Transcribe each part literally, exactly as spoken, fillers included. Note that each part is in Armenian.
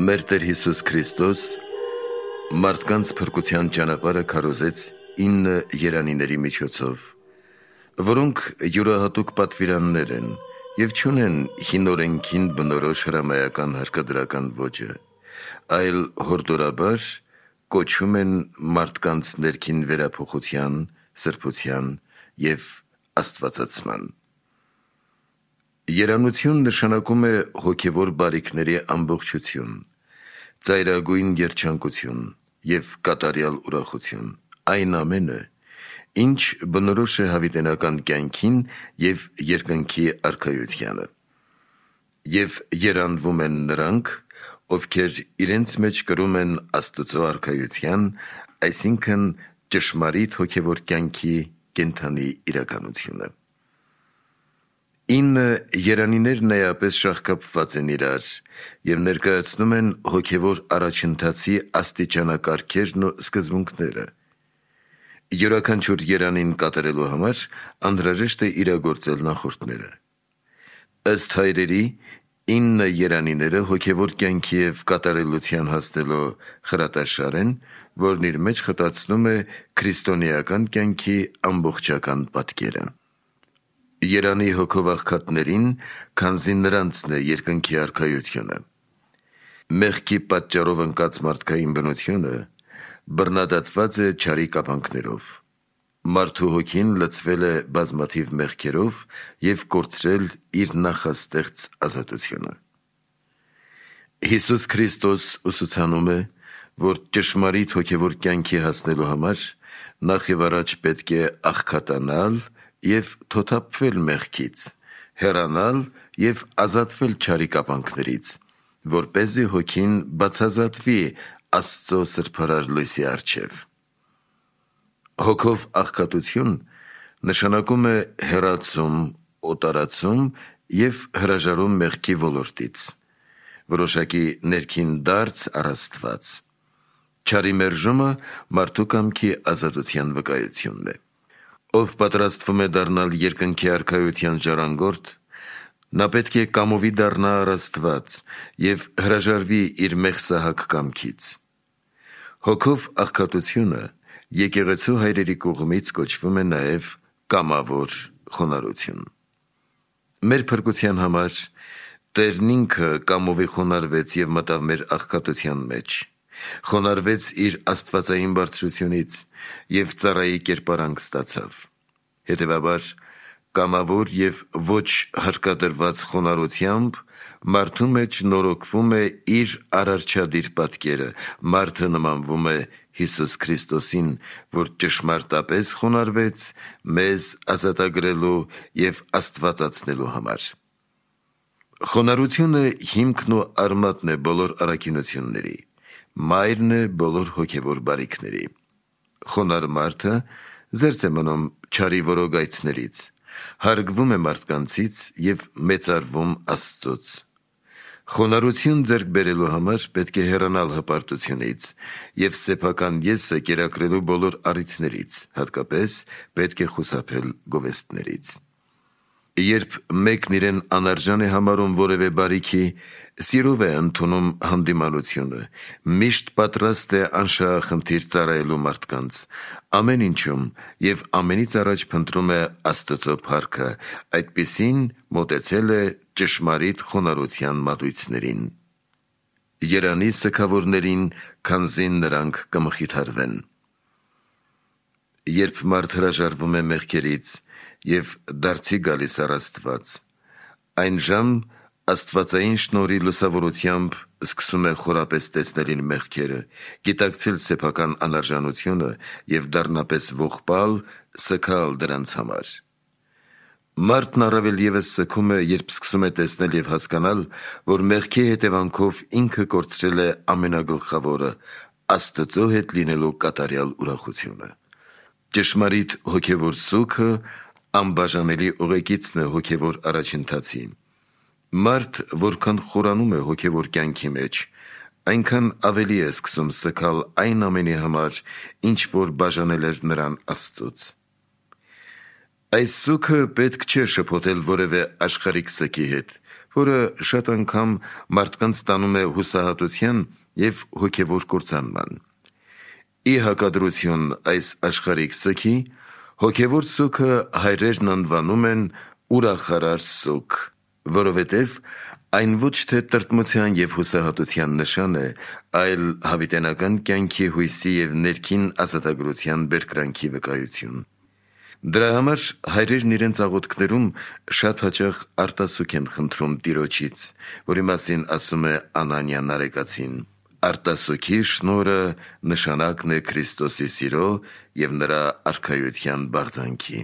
Մեր Տեր Հիսուս Քրիստոս մարդկանց փրկության ճանապարհը քարոզեց ինը երանիների միջոցով, որոնք յուրահատուկ պատվիրաններ են և չունեն հին օրենքին բնորոշ հրամայական հարկադրական ոճը, այլ հորդորաբար կոչում են մարդկանց ներքին վերափոխության, սրբության և աստվածացման։ Երանություն նշանակում է հոգևոր բարիքների ամբողջություն, ծայրագույն երջանկություն և կատարյալ ուրախություն, այն ամենը, ինչ բնորոշ է հավիտենական կյանքին և երկնքի արքայությանը։ Եվ երանվում են նրանք, ովքեր իրենց մեջ կրում են Աստծո արքայության, այսինքն ճշմարիտ հոգևոր կյանքի կենդանի իրականությունը։ Ինը երանիներն էապես շաղկապված են իրար և ներկայացնում են հոգևոր առաջընթացի աստիճանակարգերն ու սկզբունքները։ Յուրաքանչյուր երանին կատարելու համար անհրաժեշտ է իրագործել նախորդները։ Ըստ հայրերի, ինը երանիները հոգևոր կյանքի և կատարելության հասնելու խրատաշար են, որն իր մեջ խտացնում է քրիստոնեական կյանքի ամբողջական պատկերը։ Երանի հոգով աղքատներին, քանզի նրանցն է երկնքի արքայությունը։ Մեղքի պատճառով ընկած մարդկային բնությունը բռնադատված է չարի կապանքներով։ Մարդու հոգին լցվել է բազմաթիվ մեղքերով և կորցրել իր նախաստեղծ ազատությունը։ Հիսուս Քրիստոս ուսուցանում է, որ ճշմարիտ հոգևոր կյանքի հասնելու համար նախ և առաջ պետք է աղքատանալ և թոթափվել մեղքից, հեռանալ և ազատվել չարի կապանքներից, որպեսզի հոգին բացազատվի Աստծո սրբարար լույսի առջև։ Հոգով աղքատություն նշանակում է հեռացում, օտարացում և հրաժարում մեղքի ոլորտից, որոշակի ներքին դարձ առ Աստված։ Չարի մերժումը մարդու կամքի ազատության վկայությունն է։ Ով պատրաստվում է դառնալ երկնքի արքայության ժառանգորդ, նա պետք է կամովի դառնա առ Աստված և հրաժարվի իր մեղսահակ կամքից։ Հոգով աղքատությունը եկեղեցու հայրերի կողմից կոչվում է նաև կամավոր խոնարհություն։ Մեր փրկության համար Տերն ինքը կամովի խոնարհվեց և մտավ մեր աղքատության մեջ, խոնարհվեց իր աստվածային բարձրությունից և ծառայի կերպարանք ստացավ։ Հետևաբար, կամավոր և ոչ հարկադրված խոնարհությամբ մարդու մեջ նորոգվում է իր արարչադիր պատկերը, մարդը նմանվում է Հիսուս Քրիստոսին, որ ճշմարտապես խոնարհվեց մեզ ազատագրելու և աստվածացնելու համար։ Խոնարհությունը հիմքն ու արմատն է բոլոր առաքինությունների, մայրն է բոլոր հոգևոր բարիքների։ Խոնարհ մարդը զերծ է մնում չարի որոգայթներից, հարգվում է մարդկանցից և մեծարվում Աստծուց։ Խոնարհություն ձեռք բերելու համար պետք է հեռանալ հպարտությունից և սեփական եսը կերակրելու բոլոր առիթներից, հատկապես պետք է խուսափել գովեստներից։ Երբ մեկն իրեն անարժան է համարում որևէ բարիքի, սիրով է ընդունում հանդիմանությունը, միշտ պատրաստ է անշահախնդիր ծառայելու մարդկանց, ամեն ինչում և ամենից առաջ փնտրում է Աստծո փառքը, այդպիսին մոտեցել է ճշմարիտ խոնարհության մատույցներին։ Երանի սգավորներին, քանզի նրանք կմխիթարվեն։ Երբ մարդ հրաժարվում է մեղքերից և դարձի գալիս առ Աստված, այն ժամ աստվածային շնորհի լուսավորությամբ սկսում է խորապես տեսնել իր մեղքերը, գիտակցել սեփական անարժանությունը և դառնապես ողբալ, սգալ դրանց համար։ Մարդն առավել ևս սգում է, երբ սկսում է տեսնել և հասկանալ, որ մեղքի հետևանքով ինքը կորցրել է ամենագլխավորը՝ Աստծո հետ լինելու կատարյալ ուրախությունը։ Ճշմարիտ հոգևոր սուգը անբաժանելի ուղեկիցն է հոգևոր առաջընթացի։ Մարդ, որքան խորանում է հոգևոր կյանքի մեջ, այնքան ավելի է սկսում սգալ այն ամենի համար, ինչ որ բաժանել էր նրան Աստծուց։ Այս սուգը պետք չէ շփոթել որևէ աշխարհիկ սգի հետ, որը շատ անգամ մարդկանց տանում է հուսահատության և հոգևոր կործանման։ Ի հակադրություն այս աշխարհիկ սգի, հոգևոր սուգը հայրերն անվանում են ուրախարար սուգ, որովհետև այն ոչ թե տրտմության և հուսահատության նշան է, այլ հավիտենական կյանքի հույսի և ներքին ազատագրության բերկրանքի վկայություն։ Դրա համար հայրերն իրենց աղոթքներում շատ հաճախ արտասուք են խնդրում Տիրոջից, որի մասին ասում է Անանիա Նարեկացին. «Արտասուքի շնորհը նշանակն է Քրիստոսի սիրո և նրա արքայության բաղձանքի»։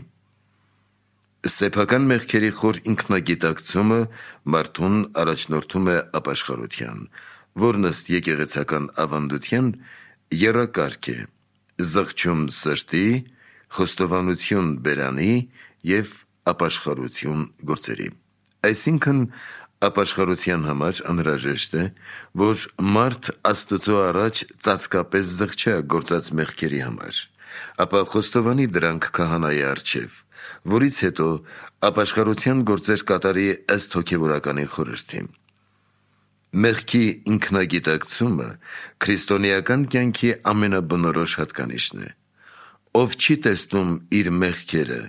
Սեփական մեղքերի խոր ինքնագիտակցումը մարդուն առաջնորդում է ապաշխարության, որն ըստ եկեղեցական ավանդության եռակարգ է՝ զղջում սրտի, խոստովանություն բերանի և ապաշխարություն գործերի։ Այսինքն, ապաշխարության համար անհրաժեշտ է, որ մարդ Աստծո առաջ ծածկապես զղջա գործած մեղքերի համար, ապա խոստովանի դրանք քահանայի առջև, որից հետո ապաշխարության գործեր կատարի ըստ հոգևորականի խորհրդի։ Մեղքի ինքնագիտակցումը քրիստոնեական կյանքի ամենաբնորոշ հատկանիշն է։ Ով չի տեսնում իր մեղքերը,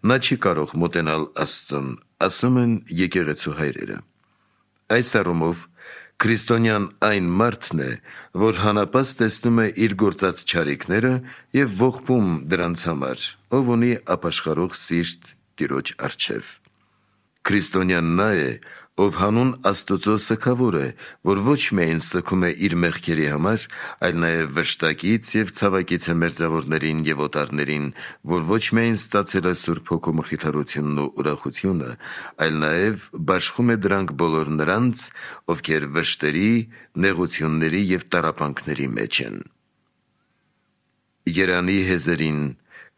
նա չի կարող մոտենալ Աստծուն, ասում են եկեղեցու հայրերը։ Այս առումով քրիստոնյան այն մարդն է, որ հանապազ տեսնում է իր գործած չարիքները և ողբում դրանց համար, ով ունի ապաշխարող սիրտ Տիրոջ առջև։ Քրիստոնյան նա է, ով հանուն Աստծո սգավոր է, որ ոչ միայն սգում է իր մեղքերի համար, այլ նաև վշտակից և ցավակից է մերձավորներին և օտարներին, որ ոչ միայն ստացել է Սուրբ Հոգու մխիթարությունն ու ուրախությունը, այլ նաև բաշխում է դրանք բոլոր նրանց, ովքեր վշտերի, նեղությունների և տառապանքների մեջ են։ Երանի հեզերին,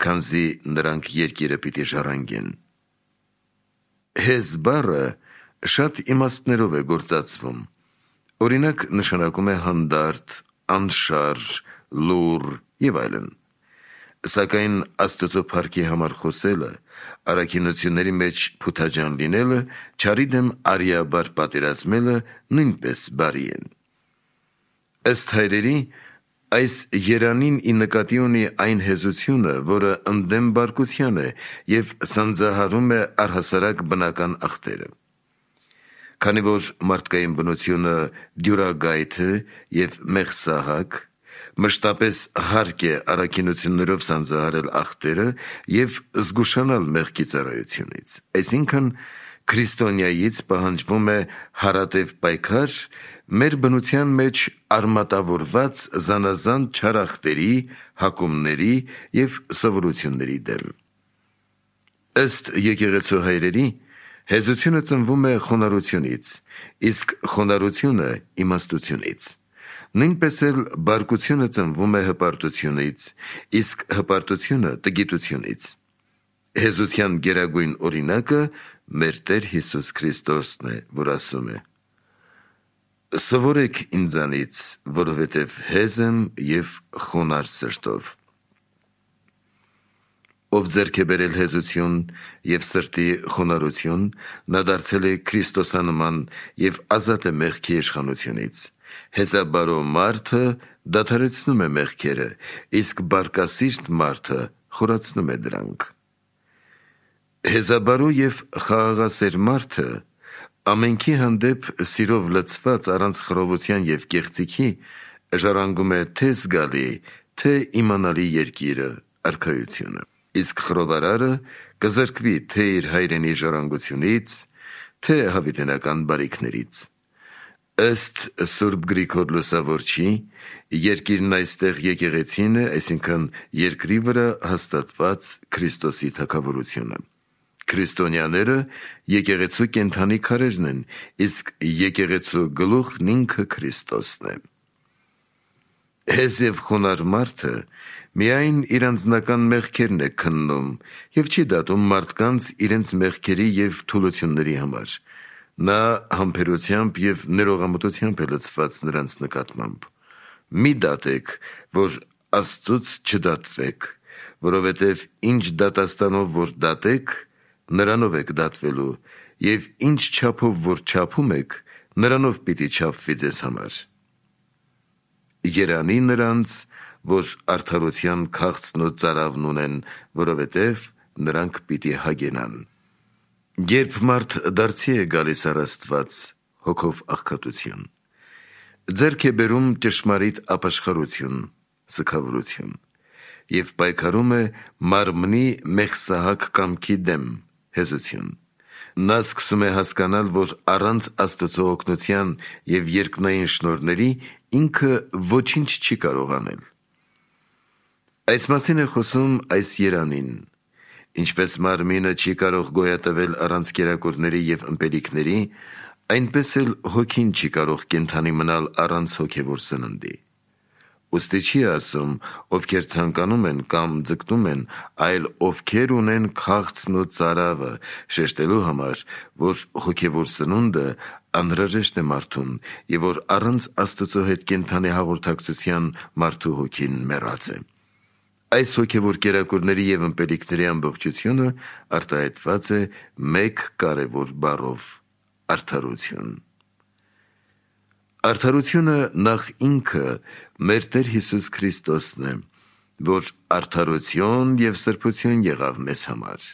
քանզի նրանք երկիրը պիտի ժառանգեն։ Հեզ բառը շատ իմաստներով է գործածվում։ Օրինակ, նշանակում է հանդարտ, անշարժ, լուռ և այլն։ Սակայն Աստծո փառքի համար խոսելը, առաքինությունների մեջ փութաջան լինելը, չարի դեմ արիաբար պատերազմելը նույնպես բարի են։ Ըստ հայրերի, այս երանին ի նկատի ունի այն հեզությունը, որը ընդդեմ բարկության է և սանձահարում է առհասարակ բնական ախտերը։ Քանի որ մարդկային բնությունը դյուրագայթ է և մեղսահակ, մշտապես հարկ է առաքինություններով սանձահարել ախտերը և զգուշանալ մեղքի ծառայությունից։ Այսինքն, քրիստոնյայից պահանջվում է հարատև պայքար մեր բնության մեջ արմատավորված զանազան չար ախտերի, հակումների և սովորությունների դեմ։ Ըստ եկեղեցու հայրերի, հեզությունը ծնվում է խոնարհությունից, իսկ խոնարհությունը իմաստությունից։ Նույնպես էլ բարկությունը ծնվում է հպարտությունից, իսկ հպարտությունը տգիտությունից։ Հեզության գերագույն օրինակը մեր Տեր Հիսուս Քրիստոսն է, որ ասում է. «Սովորեք ինձանից, որովհետև հեզ եմ և խոնարհ սրտով»։ Ով ձեռք է բերել հեզություն և սրտի խոնարհություն, նա դարձել է քրիստոսանման և ազատ է մեղքի իշխանությունից։ Հեզաբարո մարդը դադարեցնում է մեղքերը, իսկ բարկասիրտ մարդը խորացնում է դրանք։ Հեզաբարո և խաղաղասեր մարդը ամենքի հանդեպ սիրով լցված առանց խռովության և կեղծիքի ժառանգում է թե զգալի, թե իմանալի երկիրը, արքայությունը։ Իսկ խռովարարը կզրկվի թե իր հայրենի ժառանգությունից, թե հավիտենական բարիքներից։ Ըստ Սուրբ Գրիգոր Լուսավորչի, երկիրն այստեղ եկեղեցին է, այսինքն երկրի վրա հաստատված Քրիստոսի թագավորությունը։ Քրիստոնյաները եկեղեցու կենդանի քարերն են, իսկ եկեղեցու գլուխն ինքը Քրիստոսն է։ Հեզ և խոնարհ մարդը միայն իր անձնական մեղքերն է քննում և չի դատում մարդկանց իրենց մեղքերի և թուլությունների համար։ Նա համբերությամբ և ներողամտությամբ է լցված նրանց նկատմամբ։ Մի դատեք, որ Աստծուց չդատվեք, որովհետև ինչ դատաստանով որ դատեք, նրանով եք դատվելու, եւ ինչ չափով որ չափում եք, նրանով պիտի չափվի ձեզ համար։ Երանի նրանց, որ արդարության քաղցն ու ծարավն ունեն, որովհետև նրանք պիտի հագենան։ Երբ մարդ դարձի է գալիս առ Աստված հոգով աղքատություն, ձեռք է բերում ճշմարիտ ապաշխարություն, սգավորություն եւ պայքարում է մարմնի մեղսահակ կամքի դեմ, հեզություն։ Նա սկսում է հասկանալ, որ առանց Աստծո օգնության եւ երկնային շնորհների ինքը ոչինչ չի կարող անել։ Այս մասին է խոսում այս երանին։ Ինչպես մարմինը չի կարող գոյատևել առանց կերակուրների եւ ըմպելիքների, այնպես էլ հոգին չի կարող կենդանի մնալ առանց հոգևոր սննդի։ Ուստի չի ասում, ովքեր ցանկանում են կամ ձգտում են, այլ ովքեր ունեն քաղցն ու ծարավը, շեշտելու համար, որ հոգևոր սնունդը անհրաժեշտ է մարդուն եւ որ առանց Աստծո հետ կենդանի հաղորդակցության մարդու հոգին մեռած է։ Այս հոգևոր կերակուրների եւ ըմպելիքների ամբողջությունը արտահայտված է մեկ կարևոր բառով՝ արդարություն։ Արդարությունը նախ ինքը մեր Տեր Հիսուս Քրիստոսն է, որ արդարություն եւ սրբություն եղավ մեզ համար։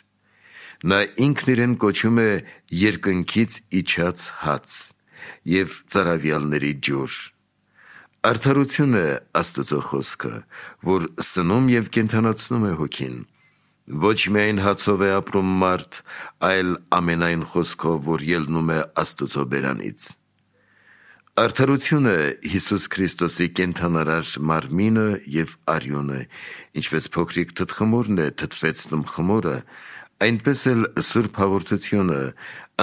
Նա ինքն իրեն կոչում է երկնքից իջած հաց եւ ծարավյալների ջուր։ Արդարություն է Աստծո խոսքը, որ սնում եւ կենդանացնում է հոգին։ Ոչ միայն հացով է ապրում մարդ, այլ ամենայն խոսքով, որ ելնում է Աստծո բերանից։ Արդարությունը Հիսուս Քրիստոսի կենդանարար մարմինը եւ արյունը, ինչպես փոքրիկ թթխմորն է թթվեցնում խմորը, այնպես էլ Սուրբ Հաղորդությունը,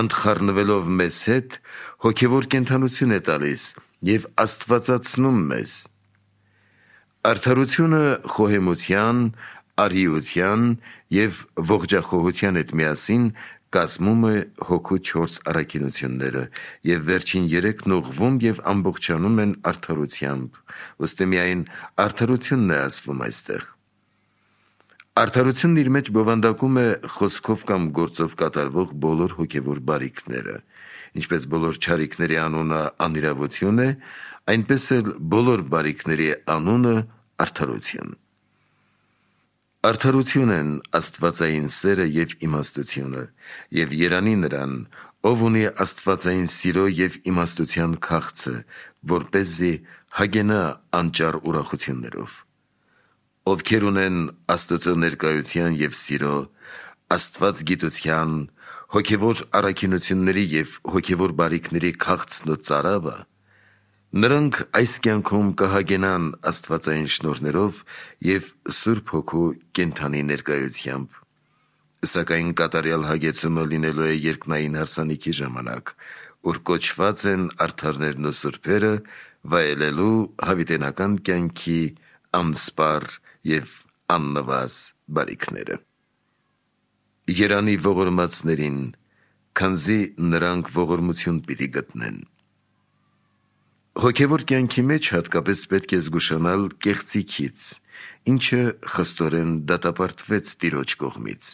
ընդխառնվելով մեզ հետ, հոգևոր կենդանություն է տալիս եւ աստվածացնում մեզ։ Արդարությունը խոհեմության, արիության եւ ողջախոհության հետ միասին կազմում է հոգու չորս առաքինությունները եւ վերջին երեքն ուղղվում եւ ամբողջանում են արդարությամբ, ըստ միայն արդարությունն է ասվում այստեղ։ Արդարությունն իր մեջ բովանդակում է խոսքով կամ գործով կատարվող բոլոր հոգևոր բարիքները, ինչպես բոլոր չարիքների անունը անիրավություն է, այնպես էլ բոլոր բարիքների անունը արդարություն։ Արդարություն են աստվածային սերը եւ իմաստությունը, եւ երանի նրան, ով ունի աստվածային սիրո եւ իմաստության քաղցը, որպեսզի հագենա անճար ուրախություններով։ Ովքեր ունեն Աստծո ներկայության եւ սիրո, Աստված գիտության, հոգևոր առաքինությունների եւ հոգևոր բարիքների քաղցն ու ծարավը, նրանք այս կյանքում կհագենան աստվածային շնորհներով եւ Սուրբ Հոգու կենդանի ներկայությամբ։ Սակայն կատարյալ հագեցումը լինելու է երկնային հարսանիքի ժամանակ, որ կոչված են արդարներն ու սուրբերը վայելելու հավիտենական կյանքի անսպառ եւ աննվազ բարիքները։ Երանի ողորմածներին, քանզի նրանք ողորմություն պիտի գտնեն։ Հոգևոր կյանքի մեջ հատկապես պետք է զգուշանալ կեղծիքից, ինչը խստորեն դատապարտվեց Տիրոջ կողմից։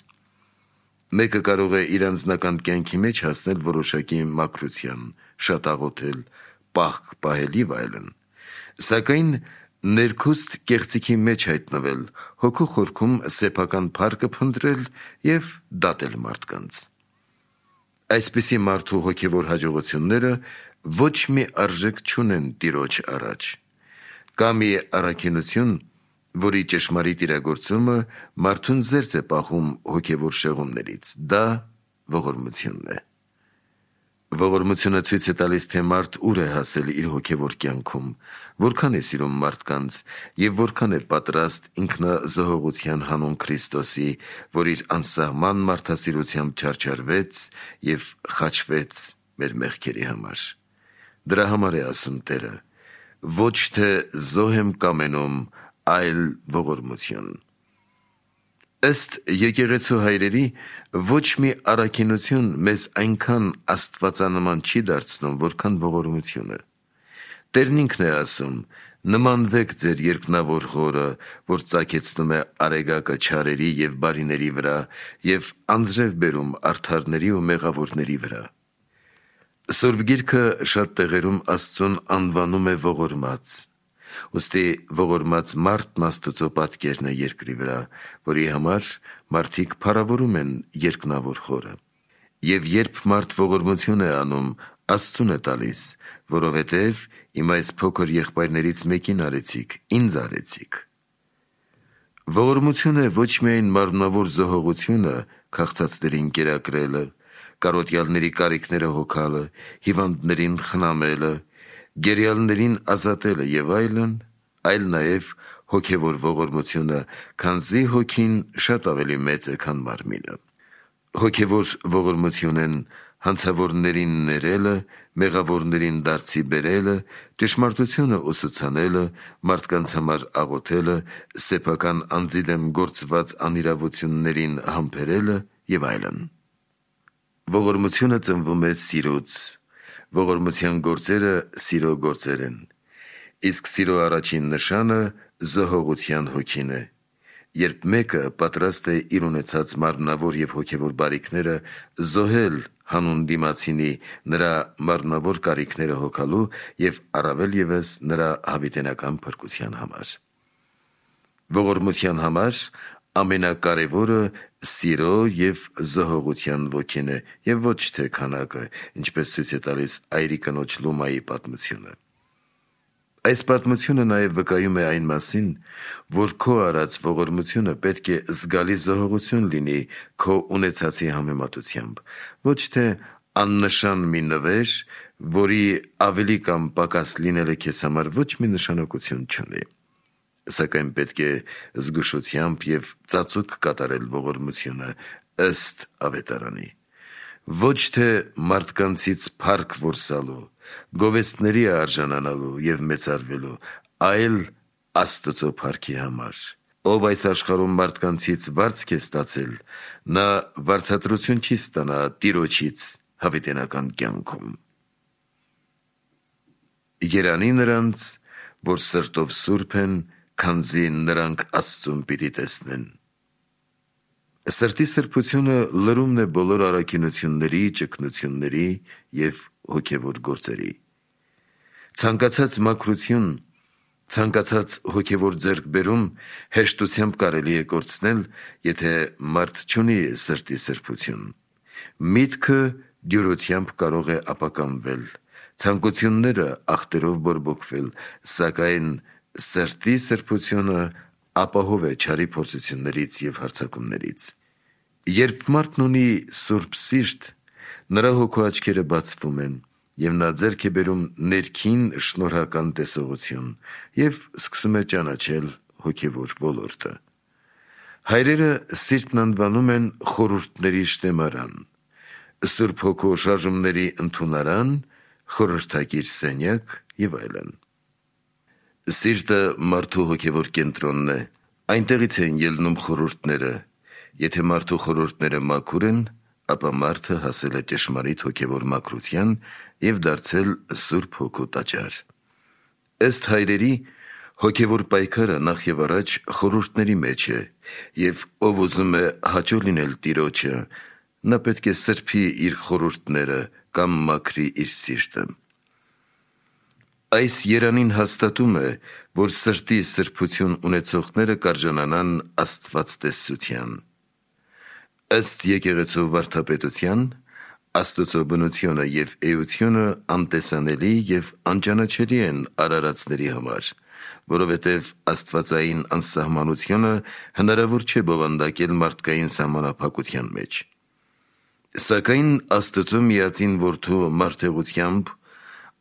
Մեկը կարող է իր անձնական կյանքի մեջ հասնել որոշակի մաքրության, շատ աղոթել, պահք պահել եւ այլն, սակայն ներքուստ կեղծիքի մեջ հայտնվել, հոգու խորքում սեփական փառքը փնտրել եւ դատել մարդկանց։ Այսպիսի մարդու հոգևոր հաջողությունները ոչ մի արժեք չունեն Տիրոջ առաջ։ Կա մի առաքինություն, որի ճշմարիտ իրագործումը մարդուն զերծ է պահում հոգևոր շեղումներից, դա ողորմությունն է։ Ողորմությունը ցույց է տալիս, թե մարդ ուր է հասել իր հոգևոր կյանքում, որքան է սիրում մարդկանց եւ որքան է պատրաստ ինքնազոհողության հանուն Քրիստոսի, որ իր անսահման մարդասիրությամբ չարչարվեց եւ խաչվեց մեր մեղքերի համար։ Դրա համար է ասում Տերը. ոչ թե զոհ եմ կամենում, այլ ողորմություն։ Ըստ եկեղեցու հայրերի, ոչ մի առաքինություն մեզ այնքան աստվածանման չի դարձնում, որքան ողորմությունը։ Տերն ինքն է ասում. Նմանվեք ձեր երկնավոր Հորը, որ ծագեցնում է արեգակը չարերի և բարիների վրա և անձրև բերում արդարների ու մեղավորների վրա։ Սուրբ Գիրքը շատ տեղերում Աստծուն անվանում է ողորմած։ Ուստի ողորմած մարդն Աստծո պատկերն է երկրի վրա, որի համար մարդիկ փառավորում են երկնավոր Հորը։ Եվ երբ մարդ ողորմություն է անում, Աստծուն է տալիս, որովհետև իմ այս փոքր եղբայրներից մեկին արեցիք, ինձ արեցիք։ Ողորմությունը ոչ միայն մարմնավոր զոհողությունը, քաղցածներին կերակրելը, կարոտյալների կարիքները հոգալը, հիվանդներին խնամելը, գերիալներին ազատելը և այլն, այլ նաև հոգևոր ողորմությունը, քանզի հոգին շատ ավելի մեծ է, քան մարմինը։ Հոգևոր ողորմություն են հանցավորներին ներելը, մեղավորներին դարձի բերելը, ճշմարտությունը ուսուցանելը, մարդկանց համար աղոթելը, սեփական անձի դեմ գործված անիրավություններին համբերելը և այլն։ Ողորմությունը ծնվում է սիրուց, ողորմության գործերը սիրո գործեր են, իսկ սիրո առաջին նշանը զոհողության հոգին է։ Երբ մեկը պատրաստ է իր ունեցած մարմնավոր և հոգևոր բարիքները զոհել հանուն դիմացինի նրա մարմնավոր կարիքները հոգալու և առավել ևս նրա հավիտենական փրկության համար։ Ողորմության համար ամենակարևորը սիրո և զոհողության ոգին է և ոչ թե քանակը, ինչպես ցույց է տալիս այրի կնոջ Լումայի պատմությունը։ Այս պատմությունը նաև վկայում է այն մասին, որ քո արած ողորմությունը պետք է զգալի զոհողություն լինի քո ունեցածի համեմատությամբ, ոչ թե աննշան մի նվեր, որի ավելի կամ պակաս լինելը քեզ համար ոչ մի նշանակություն չունի։ Սակայն պետք է զգուշությամբ և ծածուկ կատարել ողորմությունը ըստ ավետարանի։ Ոչ թե մարդկանցից փառք որսալու, գովեստների արժանանալու և մեծարվելու, այլ Աստծո փառքի համար։ Ով այս աշխարհում մարդկանցից վարձք է ստացել, նա վարձատրություն չի ստանա Տիրոջից հավիտենական կյանքում։ Երանի նրանց, որ սրտով սուրբ են, քանզի նրանք Աստծուն պիտի տեսնեն։ Սրտի սրբությունը լրումն է բոլոր առաքինությունների, ճգնությունների և հոգևոր գործերի։ Ցանկացած մաքրություն, ցանկացած հոգևոր ձեռքբերում հեշտությամբ կարելի է կորցնել, եթե մարդ չունի սրտի սրբություն։ Միտքը դյուրությամբ կարող է ապականվել, ցանկությունները ախտերով բորբոքվել, սակայն սրտի սրբությունը ապահով է չարի փորձություններից և հարձակումներից։ Երբ մարդն ունի սուրբ սիրտ, նրա հոգու աչքերը բացվում են, և նա ձեռք է բերում ներքին շնորհական տեսողություն և սկսում է ճանաչել հոգևոր ոլորտը։ Հայրերը սիրտն անվանում են խորհուրդների շտեմարան, Սուրբ Հոգու շարժումների ընդունարան, խորհրդակիր սենյակ և այլն։ Սիրտը մարդու հոգևոր կենտրոնն է, այնտեղից են ելնում խորհուրդները։ Եթե մարդու խորհուրդները մաքուր են, ապա մարդը հասել է ճշմարիտ հոգևոր մաքրության և դարձել Սուրբ Հոգու տաճար։ Ըստ հայրերի, հոգևոր պայքարը նախ և առաջ խորհուրդների մեջ է, և ով ուզում է հաճո լինել Տիրոջը, նա պետք է սրբի իր խորհուրդները կամ մաքրի իր սիրտը։ Այս երանին հաստատում է, որ սրտի սրբություն ունեցողները կարժանանան աստվածտեսության։ Ըստ եկեղեցու վարդապետության, Աստծո բնությունը և էությունը անտեսանելի և անճանաչելի են արարածների համար, որովհետև աստվածային անսահմանությունը հնարավոր չէ բովանդակել մարդկային սահմանափակության մեջ։ Սակայն Աստծո միածին Որդու մարդեղությամբ,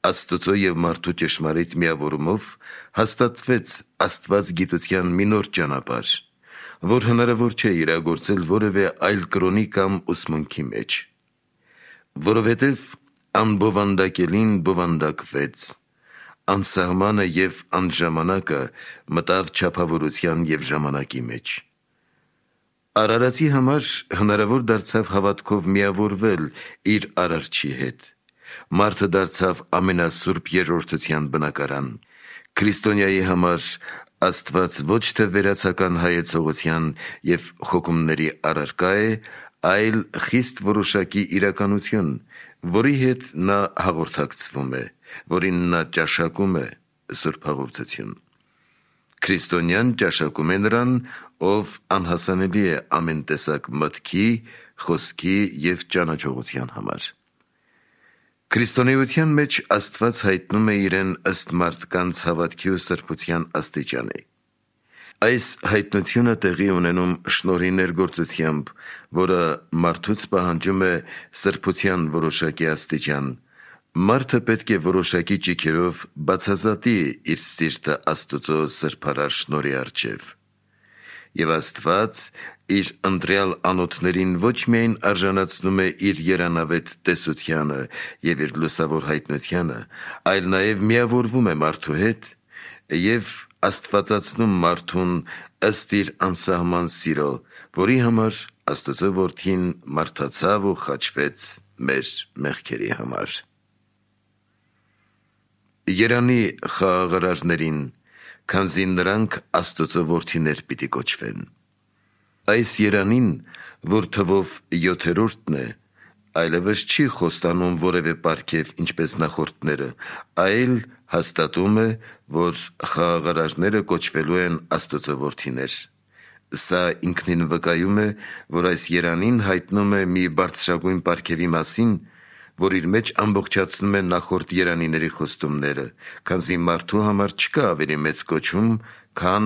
Աստծո և մարդու ճշմարիտ միավորումով հաստատվեց աստվածգիտության մի նոր ճանապարհ, որ հնարավոր չէ իրագործել որևէ այլ կրոնի կամ ուսմունքի մեջ։ Որովհետև անբովանդակելին բովանդակվեց, անսահմանը և անժամանակը մտավ չափավորության և ժամանակի մեջ։ Արարածի համար հնարավոր դարձավ հավատքով միավորվել իր Արարչի հետ։ Մարդը դարձավ ամենասուրբ Երրորդության բնակարան, Քրիստոնյայի համար Աստված ոչ թե վերացական հայեցողության և խոկումների առարկա է, այլ խիստ որոշակի իրականություն, որի հետ նա հաղորդակցվում է, որին նա ճաշակում է, Սուրբ Հաղորդություն։ Քրիստոնյան ճաշակում է նրան, ով անհասանելի է ամեն տեսակ մտքի, խոսքի և ճանաչողության համար։ Քրիստոնեության մեջ Աստված հայտնում է իրեն ըստ մարդկանց հավատքի ու սրբության աստիճանի։ Այս հայտնությունը տեղի ունենում շնորհի ներգործությամբ, որը մարդուց պահանջում է սրբության որոշակի աստիճան։ Մարդը պետք է որոշակի ճիգերով բացազատի իր սիրտը Աստծո սրբարար շնորհի առջև։ Եվ Աստված իր ընտրյալ անոթներին ոչ միայն արժանացնում է իր երանավետ տեսությանը և իր լուսավոր հայտնությանը, այլ նաև միավորվում է մարդու հետ և աստվածացնում մարդուն ըստ իր անսահման սիրո, որի համար Աստծո Որդին մարդացավ ու խաչվեց մեր մեղքերի համար։ Երանի խաղաղարարներին, քանզի նրանք Աստծո որդիներ պիտի կոչվեն։ Այս երանին, որ թվով յոթերորդն է, այլևս չի խոստանում որևէ պարգև, ինչպես նախորդները, այլ հաստատում է, որ խաղաղարարները կոչվելու են Աստծո որդիներ։ Սա ինքնին վկայում է, որ այս երանին հայտնում է մի բարձրագույն պարգևի մասին, որ իր մեջ ամբողջացնում է նախորդ երանիների խոստումները, քանզի մարդու համար չկա ավելի մեծ կոչում, քան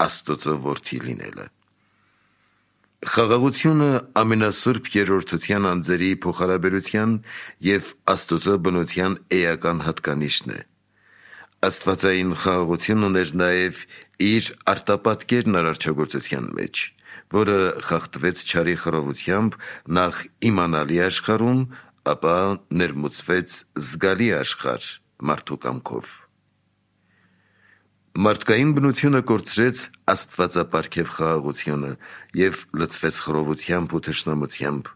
Աստծո որդի լինելը։ Խաղաղությունը ամենասուրբ երրորդության անձերի փոխհարաբերության և Աստծո բնության էական հատկանիշն է։ Աստվածային խաղաղություն ուներ նաև իր արտապատկերն արարչագործության մեջ, որը խախտվեց չարի խռովությամբ նախ իմանալի աշխարհում, ապա ներմուծվեց զգալի աշխարհ մարդու կամքով։ Մարդկային բնությունը կորցրեց աստվածապարգև խաղաղությունը և լցվեց խռովությամբ ու թշնամությամբ։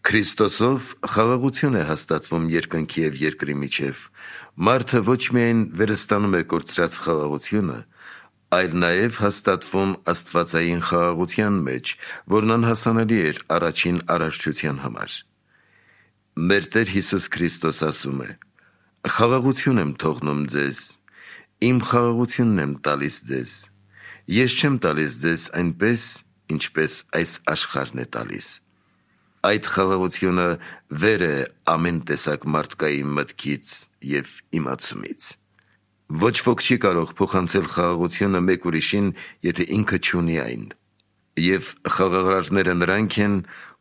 Քրիստոսով խաղաղություն է հաստատվում երկնքի և երկրի միջև։ Մարդը ոչ միայն վերստանում է կորցրած խաղաղությունը, այլ նաև հաստատվում աստվածային խաղաղության մեջ, որն անհասանելի էր առաջին արարչության համար։ Մեր Տեր Հիսուս Քրիստոս ասում է. «Խաղաղություն եմ թողնում ձեզ, իմ խաղաղությունն եմ տալիս ձեզ. ես չեմ տալիս ձեզ այնպես, ինչպես այս աշխարհն է տալիս»։ Այդ խաղաղությունը վեր է ամեն տեսակ մարդկային մտքից և իմացումից։ Ոչ ոք չի կարող փոխանցել խաղաղությունը մեկ ուրիշին, եթե ինքը չունի այն։ Եվ խաղաղարարները նրանք են,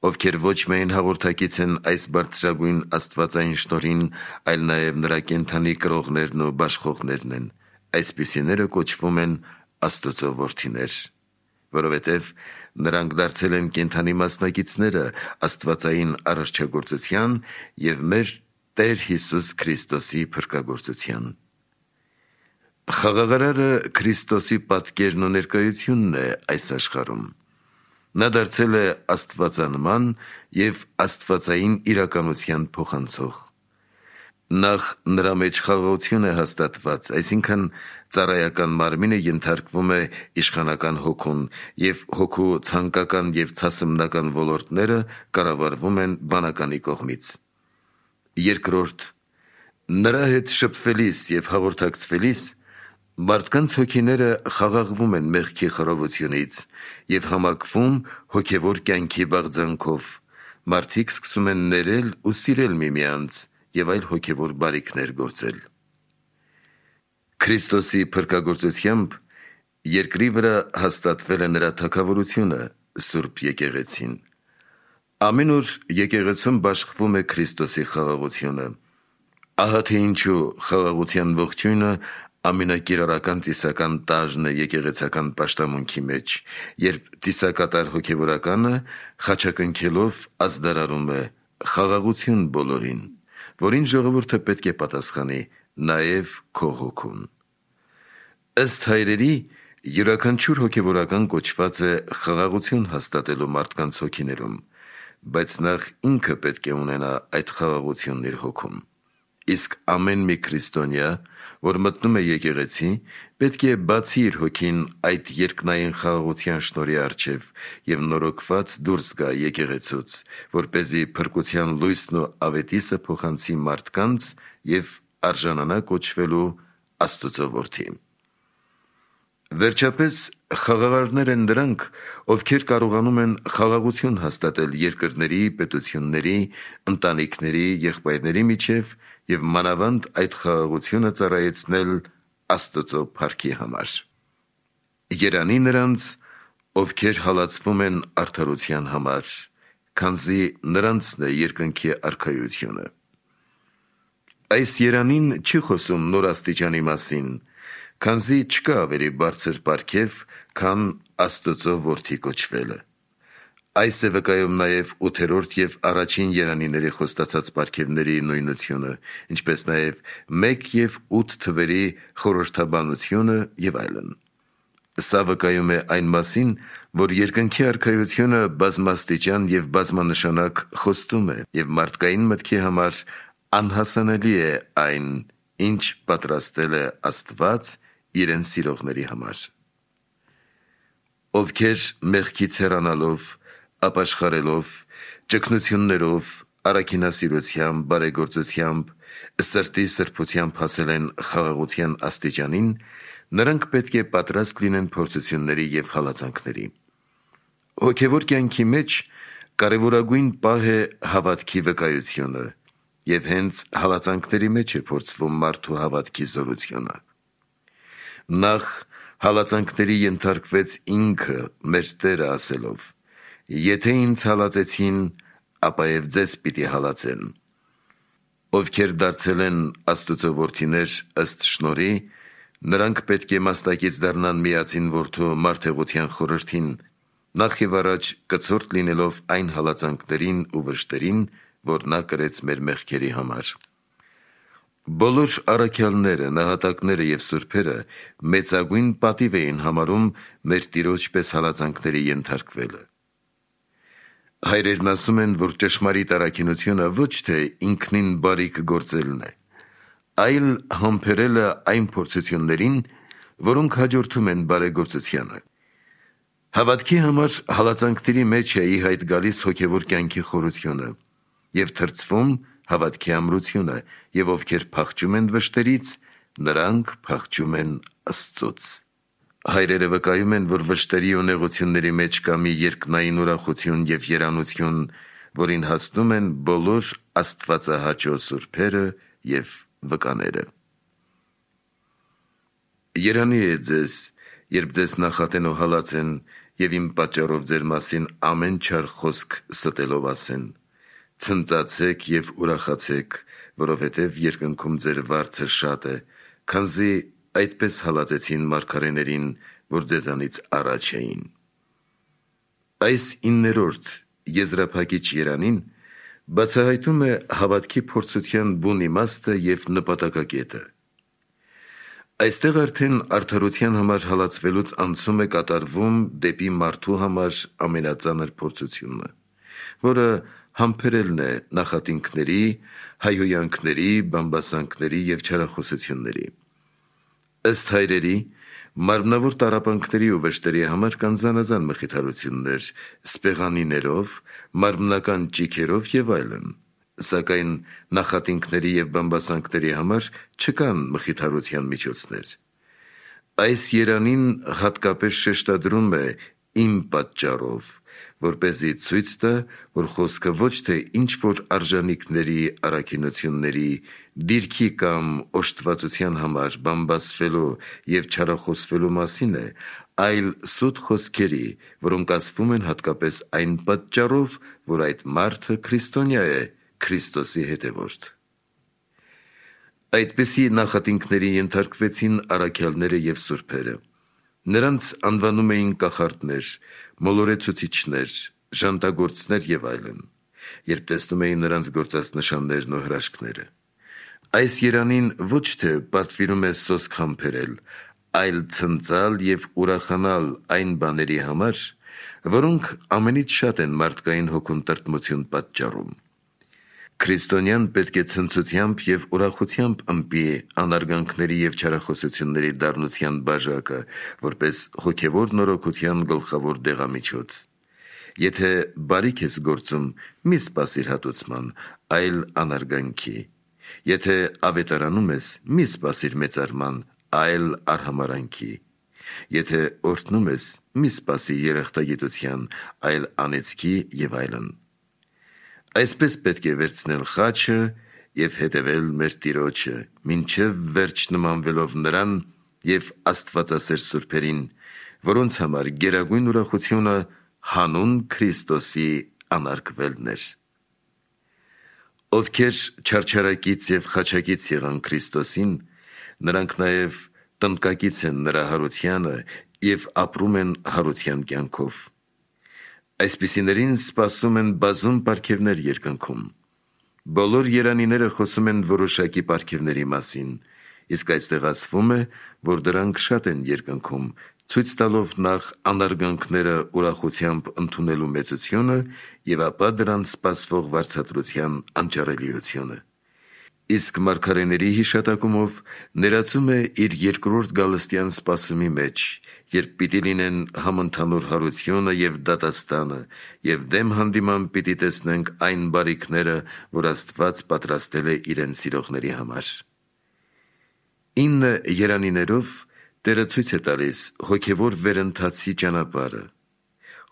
ովքեր ոչ միայն հաղորդակից են այս բարձրագույն աստվածային շնորհին, այլ նաև նրա կենդանի կրողներն ու բաշխողներն են։ Այսպիսիները կոչվում են Աստծո որդիներ, որովհետև նրանք դարձել են կենդանի մասնակիցները աստվածային արարչագործության և մեր Տեր Հիսուս Քրիստոսի փրկագործության։ Խաղաղարարը Քրիստոսի պատկերն ու ներկայությունն է այս աշխարհում։ Նա դարձել է աստվածանման և աստվածային իրականության փոխանցող։ Նախ նրա մեջ խաղաղություն է հաստատված, այսինքն ծառայական մարմինը ենթարկվում է իշխանական հոգուն, և հոգու ցանկական և ցասմնական ոլորտները կառավարվում են բանականի կողմից։ Երկրորդ, նրա հետ շփվելիս և հաղորդակցվելիս մարդկանց հոգիները խաղաղվում են մեղքի խռովությունից և համակվում հոգևոր կյանքի բաղձանքով, մարդիկ սկսում են ներել ու սիրել միմյանց և այլ հոգևոր բարիքներ գործել։ Քրիստոսի փրկագործությամբ երկրի վրա հաստատվել է նրա թագավորությունը, Սուրբ Եկեղեցին։ Ամեն օր եկեղեցում բաշխվում է Քրիստոսի խաղաղությունը։ Ահա թե ինչու խաղաղության ողջույնը ամենակիրառական ծիսական տարրն է եկեղեցական պաշտամունքի մեջ, երբ ծիսակատար հոգևորականը խաչակնքելով ազդարարում է «Խաղաղություն բոլորին», որին ժողովուրդը պետք է պատասխանի «Նաև քո հոգուն»։ Ըստ հայրերի, յուրաքանչյուր հոգևորական կոչված է խաղաղություն հաստատելու մարդկանց հոգիներում, բայց նախ ինքը պետք է ունենա այդ խաղաղությունն իր հոգում։ Իսկ ամեն մի քրիստոնյա, որ մտնում է եկեղեցի, պետք է բացի իր հոգին այդ երկնային խաղաղության շնորհի առջև և նորոգված դուրս գա եկեղեցուց, որպեսզի փրկության լույսն ու ավետիսը փոխանցի մարդկանց և արժանանա կոչվելու Աստծո որդի։ Վերջապես, խաղաղարներ են նրանք, ովքեր կարողանում են խաղաղություն հաստատել երկրների, պետությունների, ընտանիքների, եղբայրների միջև և մանավանդ այդ խաղաղությունը ծառայեցնել Աստծո փառքի համար։ Երանի նրանց, ովքեր հալածվում են արդարության համար, քանզի նրանցն է երկնքի արքայությունը։ Այս երանին չի խոսում նոր աստիճանի մասին, քանզի չկա ավելի բարձր պարգև, քան Աստծո որդի կոչվելը։ Այս է վկայում նաև ութերորդ և առաջին երանիների խոստացած պարգևների նույնությունը, ինչպես նաև մեկ և ութ թվերի խորհրդաբանությունը և այլն։ Սա վկայում է այն մասին, որ երկնքի արքայությունը բազմաստիճան և բազմանշանակ խոստում է, և մարդկային մտքի համար անհասանելի է այն, ինչ պատրաստել է Աստված իրեն սիրողների համար։ Ովքեր մեղքից հեռանալով, ապաշխարելով, ճգնություններով, առաքինասիրությամբ, բարեգործությամբ, սրտի սրբությամբ հասել են խաղաղության աստիճանին, նրանք պետք է պատրաստ լինեն փորձությունների և հալածանքների։ Հոգևոր կյանքի մեջ կարևորագույն պահ է հավատքի վկայությունը, և հենց հալածանքների մեջ է փորձվում մարդու հավատքի զորությունը։ Նախ հալածանքների ենթարկվեց ինքը մեր Տերը ասելով. «Եթե ինձ հալածեցին, ապա և ձեզ պիտի հալածեն»։ Ովքեր դարձել են Աստծո որդիներ ըստ շնորհի, նրանք պետք է մաստակից դառնան միածին որդու մարդեղության խորհրդին, նախ և առաջ կցորդ լինելով այն հալածանքներին ու վշտերին, որ նա կրեց մեր մեղքերի համար։ Բոլոր առաքյալները, նահատակները և սուրբերը մեծագույն պատիվ էին համարում մեր Տիրոջ պես հալածանքների ենթարկվելը։ Հայրերն ասում են, որ ճշմարիտ առաքինությունը ոչ թե ինքնին բարիք գործելն է, այլ համբերելը այն փորձություններին, որոնք հաջորդում են բարեգործությանը։ Հավատքի համար հալածանքների մեջ է ի հայտ գալիս հոգևոր կյանքի խորությունը և թրծվում հավատքի ամրությունը, և ովքեր փախչում են վշտերից, նրանք փախչում են Աստծուց։ Հայրերը վկայում են, որ վշտերի ու նեղությունների մեջ կա մի երկնային ուրախություն և երանություն, որին հասնում են բոլոր աստվածահաճո սուրբերը և վկաները։ Երանի է ձեզ, երբ ձեզ նախատեն ու հալածեն, և իմ պատճառով ձեր մասին ամեն չար խոսք ստելով ասեն. ցնծացեք և ուրախացեք, որովհետև երկնքում ձեր վարձը շատ է, քանզի այդպես հալածեցին մարգարեներին, որ ձեզանից առաջ էին։ Այս իններորդ եզրափակիչ երանին բացահայտում է հավատքի փորձության բուն իմաստը և նպատակակետը։ Այստեղ արդեն արդարության համար հալածվելուց անցում է կատարվում դեպի մարդու համար ամենածանր փորձությունը, որը համբերելն է նախատինքների, հայհոյանքների, բամբասանքների և չարախոսությունների։ Ըստ հայրերի, մարմնավոր տառապանքների ու վշտերի համար կան զանազան մխիթարություններ՝ սպեղանիներով, մարմնական ճիգերով և այլն, սակայն նախատինքների և բամբասանքների համար չկան մխիթարության միջոցներ։ Այս երանին հատկապես շեշտադրում է «իմ պատճառով», որպեսզի ցույց տա, որ խոսքը ոչ թե ինչ-որ արժանիքների, առաքինությունների, դիրքի կամ օժտվածության համար բամբասվելու և չարախոսվելու մասին է, այլ սուտ խոսքերի, որոնք ասվում են հատկապես այն պատճառով, որ այդ մարդը քրիստոնյա է, Քրիստոսի հետևորդ։ Այդպիսի նախատինքների ենթարկվեցին առաքյալները և սուրբերը։ Նրանց անվանում էին կախարդներ, մոլորեցուցիչներ, ժանտագործներ և այլն, երբ տեսնում էին նրանց գործած նշաններն ու հրաշքները։ Այս երանին ոչ թե պատվիրում է սոսկ համբերել, այլ ցնծալ և ուրախանալ այն բաների համար, որոնք ամենից շատ են մարդկային հոգուն տրտմություն պատճառում։ Քրիստոնյան պետք է ցնծությամբ և ուրախությամբ ըմբի անարգանքների և չարախոսությունների դառնության բաժակը, որպես հոգևոր նորոգության գլխավոր դեղամիջոց։ Եթե բարիք ես գործում, մի սպասիր հատուցման, այլ անարգանքի։ Եթե ավետարանում ես, մի սպասիր մեծարման, այլ արհամարանքի։ Եթե օրհնում ես, մի սպասի երախտագիտության, այլ անեծքի և այլն։ Այսպես պետք է վերցնել խաչը և հետևել մեր Տիրոջը, մինչև վերջ նմանվելով նրան և աստվածասեր սուրբերին, որոնց համար գերագույն ուրախությունը հանուն Քրիստոսի անարգվելն էր։ Ովքեր չարչարակից և խաչակից եղան Քրիստոսին, նրանք նաև տնկակից են նրա հարությանը և ապրում են հարության կյանքով։ Այսպիսիներին սպասում են բազում պարգևներ երկնքում։ Բոլոր երանիները խոսում են որոշակի պարգևների մասին, իսկ այստեղ ասվում է, որ դրանք շատ են երկնքում, ցույց տալով նախ անարգանքները ուրախությամբ ընդունելու մեծությունը և ապա դրանց սպասվող վարձատրության անճարելիությունը։ Իսկ մարգարեների հիշատակումով ներածում է իր երկրորդ գալստյան սպասումի մեջ, երբ պիտի լինեն համընդհանուր հարությունը և դատաստանը, և դեմ հանդիման պիտի տեսնենք այն բարիքները, որ Աստված պատրաստել է իրեն սիրողների համար։ Ինը երանիներով Տերը ցույց է տալիս հոգևոր վերընթացի ճանապարհը,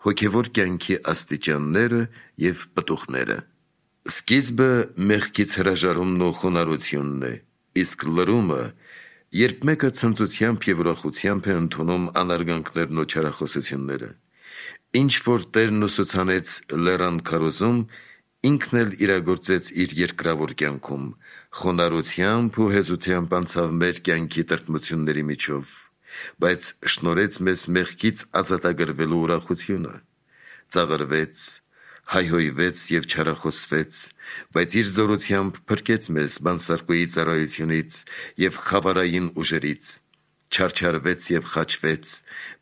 հոգևոր կյանքի աստիճանները և պտուղները։ Սկիզբը մեղքից հրաժարումն ու խոնարհությունն է, իսկ լրումը, երբ մեկը ցնծությամբ և ուրախությամբ է ընդունում անարգանքներն ու չարախոսությունները։ Ինչ որ Տերն ուսուցանեց լեռան քարոզում, ինքն էլ իրագործեց իր երկրավոր կյանքում, խոնարհությամբ ու հեզությամբ անցավ մեր կյանքի տրտմությունների միջով, բայց շնորհեց մեզ մեղքից ազատագրվելու ուրախությունը, ծաղրվեց, հայհոյվեց և չարախոսվեց, բայց իր զորությամբ փրկեց մեզ բանսարկուի ծառայությունից և խավարային ուժերից, չարչարվեց և խաչվեց,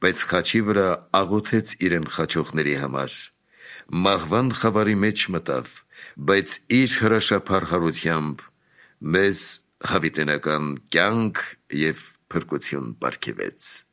բայց խաչի վրա աղոթեց իրեն խաչողների համար, մահվան խավարի մեջ մտավ, բայց իր հրաշափառ հարությամբ մեզ հավիտենական կյանք և փրկություն պարգևեց։